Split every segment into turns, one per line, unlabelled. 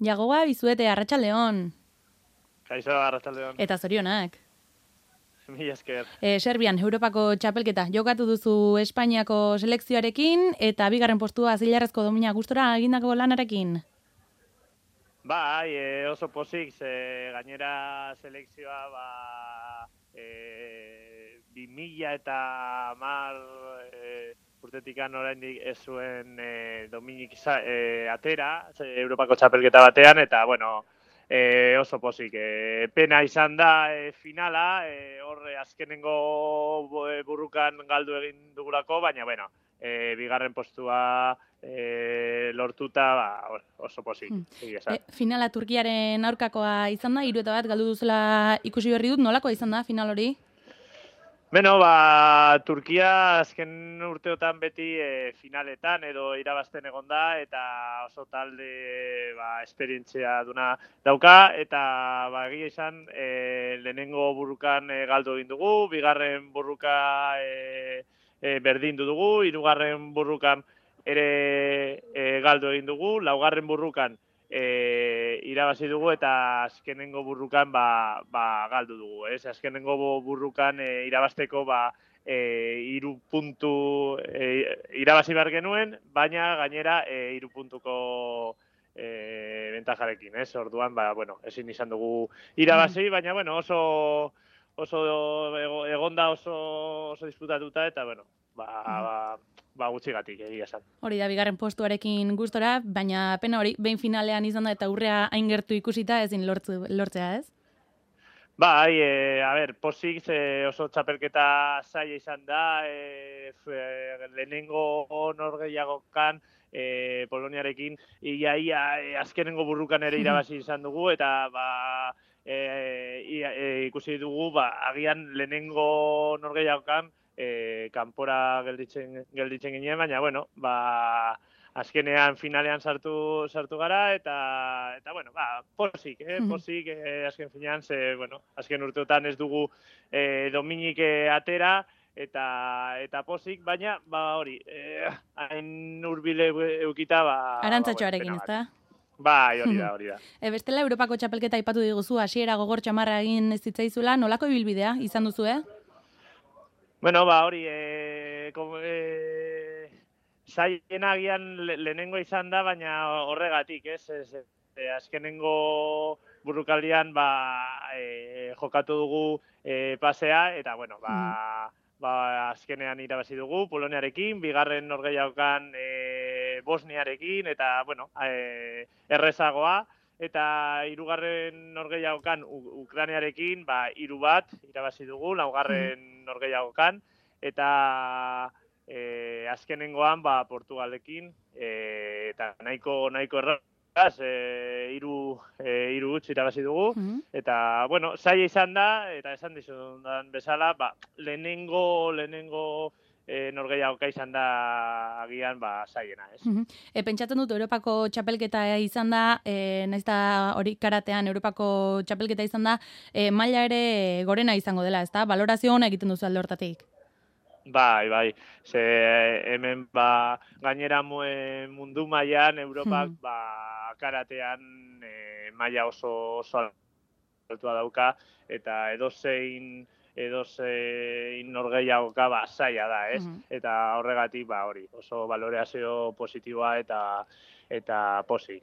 Jagoa bizuete, arratsaldeon.
Kaixo, arratsaldeon.
Eta zorionak.
Mila esker.
Serbian, Europako txapelketa. Jokatu duzu Espainiako selekzioarekin eta bigarren postua zilarrezko domina gustora egindako lanarekin.
Bai, oso pozik, gainera selekzioa 2010 urtetikan oraindik ez zuen dominik atera, Europako txapelketa batean, eta bueno, oso pozik. Pena izan da finala, horre azkenengo burrukan galdu egin dugulako, baina bueno, bigarren postua lortuta oso pozik.
Finala Turkiaren aurkakoa izan da, 3-1 galdu duzula ikusi berri dut, nolakoa izan da final hori?
Beno, Turkia azken urteotan beti finaletan edo irabazten egon da, eta oso talde esperientzia duna dauka, eta egia izan lehenengo burrukan galdu egin dugu, bigarren burruka berdindu dugu, hirugarren burrukan ere galdu egin dugu, laugarren burrukan irabazi dugu eta azkenengo burrukan galdu dugu. Azkenengo burrukan irabazteko 3 puntu irabazi behar genuen, baina gainera 3 puntuko bentajarekin. Orduan, ezin izan dugu irabazi, baina oso egonda oso disputatuta eta gutxigatik egia esan.
Hori da, bigarren postuarekin gustora, baina pena hori, behin finalean izan da eta urrea hain gertu ikusita ezin lortzea, ez?
Bai, pozik oso txapelketa zaila izan da, lehenengo norgehiagokan Poloniarekin ia azkenengo burrukan ere irabazi izan dugu, eta ikusi dugu, agian lehenengo norgehiagokan kanpora gelditzen ginen, baina, azkenean finalean sartu gara, eta pozik, azken finean, azken urteotan ez dugu dominik atera, eta pozik, baina, hori, hain urbile eukita,
Arantzatxoarekin, ez da?
Bai, hori da.
Bestela, Europako txapelketa aipatu diguzu, hasiera gogor txamarra egin ez zitzaizula, nolako ibilbidea izan duzu,
Bueno, hori, zailena agian lehenengo izan da, baina horregatik, azkenengo burrukaldian jokatu dugu pasea, eta azkenean irabazi dugu Poloniarekin, bigarren norgehiagokan Bosniarekin, eta errezagoa, eta hirugarren norgehiagokan Ukrainiarekin 3-1 irabazi dugu, laugarren norgehiagokan, eta azkenengoan Portugalekin, eta nahiko erraz, 3-0 irabazi dugu, eta, zaila izan da, eta esan dizudan bezala, lehenengo norgehiagoka izan da agian zailena, ez?
Pentsatzen dut Europako txapelketa izan da, nahiz eta hori karatean Europako txapelketa izan da, maila ere gorena izango dela, ez da? Balorazio ona egiten duzu alde hortatik.
Bai. Hemen gainera mundu mailan Europak karatean maila oso altua dauka, eta edozein norgehiagoka zaila da, ez? Eta horregatik hori, oso balorazio positiboa eta pozik.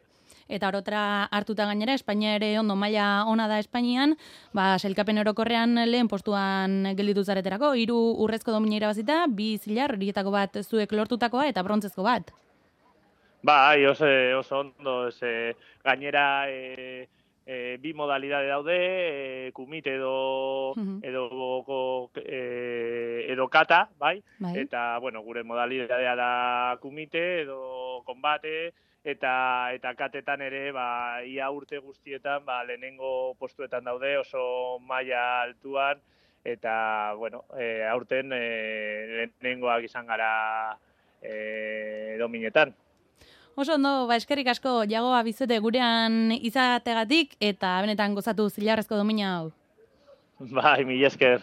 Eta orotra hartuta gainera, Espainia ere ondo maila ona da Espainian, sailkapen orokorrean lehen postuan gelditu zareterako, 3 urrezko domina irabazita, 2 zilar, horietako bat zuek lortutakoa eta brontzezko bat.
Bai, oso ondo, gainera 2 modalidade daude, kumite edo kata, bai? Eta, gure modalidadea da kumite edo konbate, eta katetan ere, ia urte guztietan, lehenengo postuetan daude, oso maila altuan, eta, aurten lehenengoak izan gara dominetan.
Oso ondo, eskerrik asko, Jagoa Bizuete gurean izategatik, eta benetan gozatu zilarrezko domina hau.
Bai, mila esker.